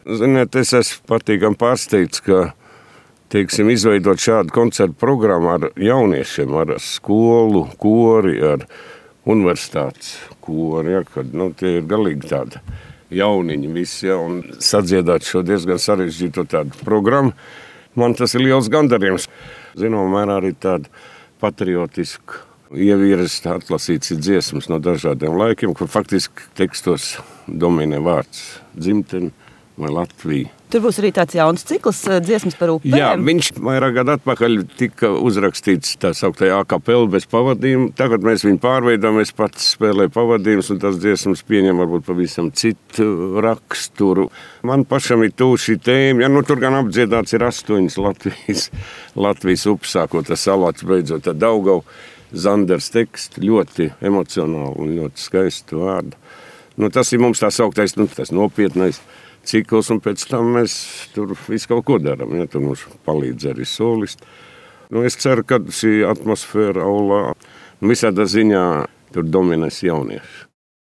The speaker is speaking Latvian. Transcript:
Ziniet, es esmu patīkami pārsteigts, ka teiksim, izveidot šādu koncertu programmu ar jauniešiem, ar skolu, kori, ar universitātes kori, ja, kad tie ir galīgi tādi jauniņi visi, ja, un sadziedāt šo diezgan sarežģīto tādu programmu. Man tas ir liels gandarījums. Zinām, mērā arī tāda patriotiska ieviras atlasīts dziesmas no dažādiem laikiem, kur faktiski tekstos dominē vārds dzimtene vai Latvija. Tur būs arī tāds jauns cikls dziesmas par upēm. Jā, viņš vairāk gadu atpakaļ tika uzrakstīts tā sauktajā A-kapela bez pavadījuma. Tagad mēs viņu pārveidām, es pats spēlēju pavadījumus, un tas dziesmas pieņem varbūt pavisam citu raksturu. Man pašam ir tuvu šī tēma, tur gan apdziedāts ir 8 Latvijas upes, sākot ar Salātu, beidzot ar Daugava. Zanders teksts, ļoti emocionāli un ļoti skaistu vārdu. Tas ir mums tā sauktais, tas nopietnais cikls, un pēc tam mēs tur visu kaut ko darām. Ja, tur mums palīdz arī solisti. Es ceru, ka šī atmosfēra aulā visādā ziņā tur dominēs jaunieši.